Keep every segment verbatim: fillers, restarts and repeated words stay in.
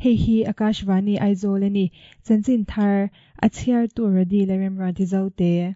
Hei hi Akashvani Aizawl a ni. Chanchin thar a chhiartu Rodi Lalremruati Zote.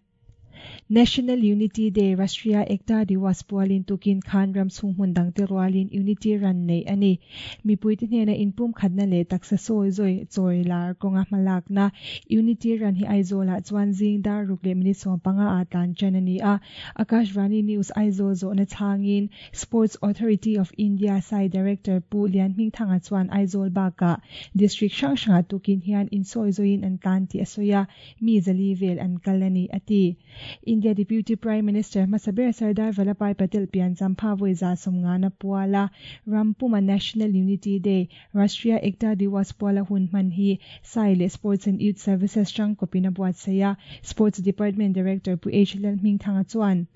National Unity Day Rashtriya Ekta Diwas pualin tukin khan ram chhung hmun dangte rualin Unity Run neih a ni. Mipuite hnena inpum khatna leh taksa sawi zawi chawi lar kawnga hmalakna Unity Run hi Aizawlah chuan zing dar ruk leh minute sawm panga ah tlan tan a ni a. Akashvani News Aizawl zawhna chhangin Sports Authority of India S A I Director Pu Lianhmingthanga chuan Aizawl bakah District hrang hrangah tukin hian insawi zawiin an tlan tih a sawi a, mi zali vel an kal a ni a ti. India Deputy Prime Minister hmasa ber Sardar Vallabhbhai Patel pian champha vawi za sawmngana puala ram puma National Unity Day Rashtriya Ekta Diwas puala hun hman hi S A I leh Sports and Youth Services tangkawpin a buatsaih a, Sports Department Director Pu H Lalhmingthanga chuan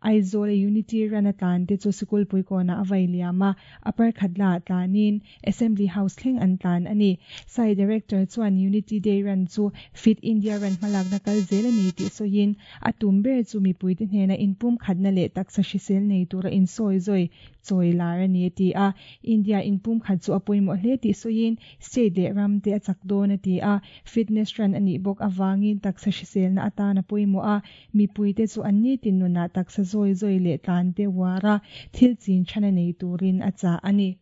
Aizawl a Unity Run a tlan te chu sikul puikawnah a vai liam a, a parkhat lah tlanin Assembly House thleng an tlan a ni. S A I Director chuan Unity Day Run chu Fit India Run hmalakna kal zel a ni tih sawiin a tum ber chu mipuite hnena inpum khatna leh taksa hrisel nei tura insawi zawi chawi lar a ni a ti a. India inpum khat chu a pawimawh hle tih sawiin state leh ram te a chak dawn a ti a. Fitness run a nih bawk avangin taksa hriselna atan a pawimawh a, mipuite chu an ni tin nunah taksa zawi zawi leh tlan te uar a, thil chin thana nei turin a chah a ni.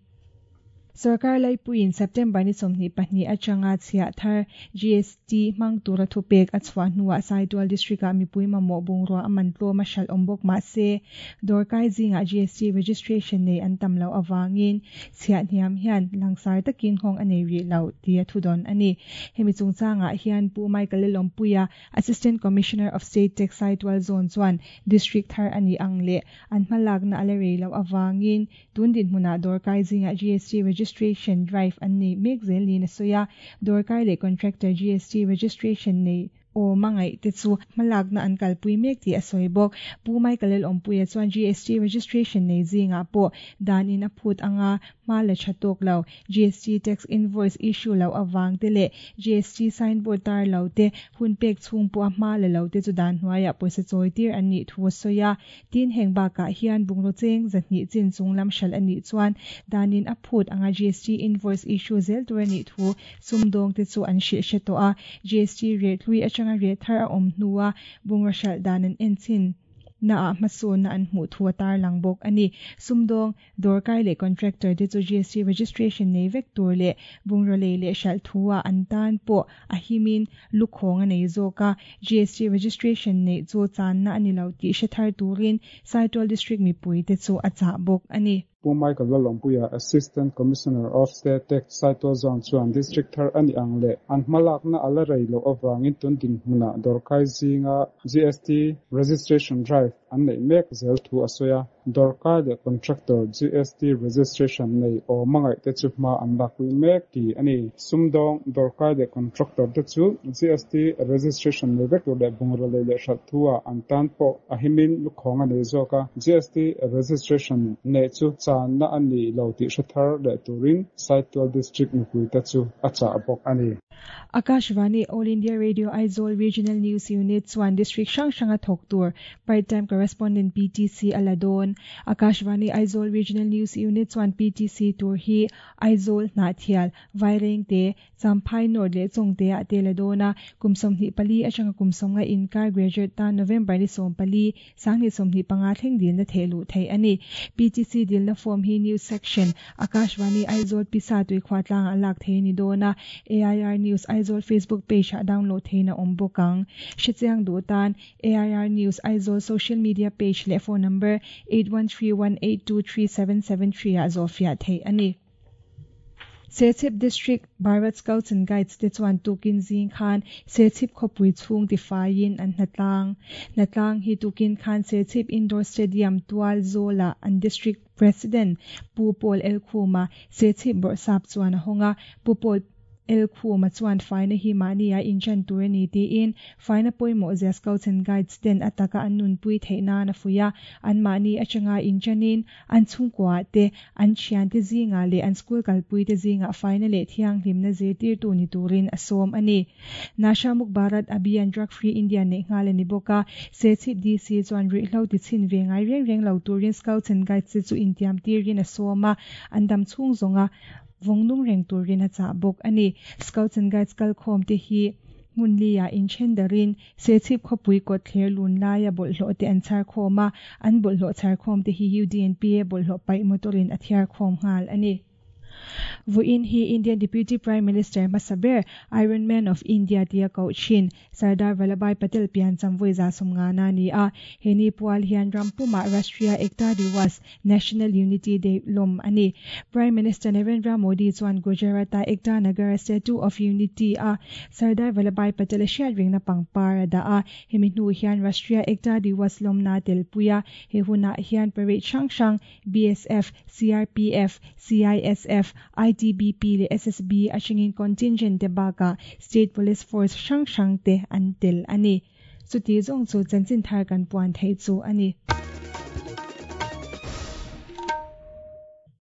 Sarkar laipuiin September ni sawmhnih pahnih atanga chhiah thar G S T hmang tura thupek a chhuah hnuah Saitual District-ah mipui mamawh bungrua a man tlawm a hralh awm bawk mah se dawrkai zingah G S T registration nei an tam loh avangin chhiah hniam hian langsar takin nghawng a nei rih lo tih a thudawn a ni. Hemi chungchangah hian Pu Michael Lalawmpuia, Assistant Commissioner of State Tax Saitual Zone chuan District thar a nih ang leh an hmalakna a la rei loh avangin tun dinhmunah dawrkai zingah G S T registration drive an nei mek zel niin a sawi a, dawrkai leh contractor G S T registration nei awm a ngaih te chu hmalakna an kalpui mek tih a sawi bawk. Pu Michael Lalawmpuia chuan G S T registration nei zingah pawh danin a phut anga hma la tha tawk lo, G S T tax invoice issue lo awang te leh G S T signboard tar lo te hun pek chhung pawh a hma la lo te chu dan hnuaiah pawisa chawi tir an nih thu a sawi a. Tin, heng bakah hian bungraw cheng zahnih chin chung lam hralh a nih chuan danin a phut anga G S T invoice issue zel tur a nih thu sumdawng te chu an hrilh hre tawh a. G S T rate hlui atanga rate thar a awm hnua bungraw hralh dan an en chin na ah hmasawnna an hmuh thu a tarlang bawk a ni. Sumdawng, dawrkai leh contractor te chu G S T registration nei vek tur leh bungraw lei leh hralh thu ah an tan pawh a himin lukhawng a nei zawk a, G S T registration neih chu channa a ni lo tih hre thar turin Saitual District mipui te chu a chah bawk a ni. Pu Michael Lalawmpuia, Assistant Commissioner of State Tax Saitual Zone chuan District thar a nih ang leh an hmalakna a la rei loh avangin tun dinhmunah dawrkai zinga G S T registration drive an neih mek zel thu a sawi a. Dawrkai leh contractor G S T registration nei awm a ngaih te chu hma an lakpui mek tih a ni. Sumdawng, dawrkai leh contractor te chu G S T registration nei vek tur leh bungraw lei leh hralh thu ah an tan pawh a himin lukhawng a nei zawk a, G S T registration neih chu channa a ni lo tih hre thar leh turin Saitual District mipui te chu a chah bawk a ni. Akashvani All India Radio Aizawl Regional News Unit chuan District hrang hranga thawk tur Part Time Correspondent P T C a la dawn. Akashvani Aizawl Regional News Unit chuan P T C tur hi Aizawl, Hnahthial, Vairengte, Champhai North leh Chawngte ah te la dawn a, kum sawmhnih pali atanga kum sawmnga inkar graduate tan November ni sawm pali sanghnih sawmhnih panga thleng dilna theh luh theih a ni. P T C dilna form hi News Section, Akashvani Aizawl Pisa Tuikhua tlangah lak thei ni dawn a, A I R News Aizawl Facebook page ah download theihna awm bawk ang. Hrechiang duh tan A I R News Aizawl social media page leh phone number eight one three one eight two three seven seven three ah zawhfiah theih a ni. Serchhip District Bharat Scouts and Guides te chuan tukin zing khan Serchhip khawpui chhung tifaiin an hnatlang. Hnatlang hi tukin khan Serchhip Indoor Stadium tual zawlah an District President Pu Paul Elkhuma, Serchhip Bawrhsap chuan a hawng a. Pu Paul Elkhuma chuan faina hi mahni a inchan tur a ni tiin faina pawimawh zia Scouts and Guides ten ataka an nunpui theih nan a fuih a, an mahni atanga inchanin an chhungkuah te an thian te zinga leh an school kalpui te zinga faina leh thianghlimna zirtirtu ni turin a sawm a ni. Nasha Muk Bharat Abhiyan Drug Free India neih nghal a ni bawk a, Serchhip D C chuan ruihhlo ti chhin ve ngai reng reng lo turin Scouts and Guides te chu intiam tirin a sawm a, an dam chhung zawnga vongnung reng turin a cha bawk ani. Scouts and Guides kal khawm te hi hmunlia in thendarin Serchhip khawpui kawt thler lun laia bawlhhlawh te an chhar khawm a, an bawlhhlawh chhar khawm te hi U D N P A bawlhhlawh paih motorin a thiar khawm nghal ani. Vuin hi Indian Deputy Prime Minister Masaber Iron Man of India tia ko chin Sardar Vallabhbhai Patel pian chamvui za sumnga na ni a heni pual hian rampuma Rashtriya Ekta Diwas National Unity Day lom ani. Prime Minister Narendra Modi chuan Gujarata Ekta Nagar Statue of Unity a Sardar Vallabhbhai Patel hriat ringna pangpar da a hemi hnu hian Rashtriya Ekta Diwas lom na telpuia he huna hian parade hrang hrang B S F, C R P F, C I S F, I T B P le S S B atangin contingent te baka State Police Force hrang hrang te an tel ani. Chuti zawng chu chanchin thar kan puan thei chu ani.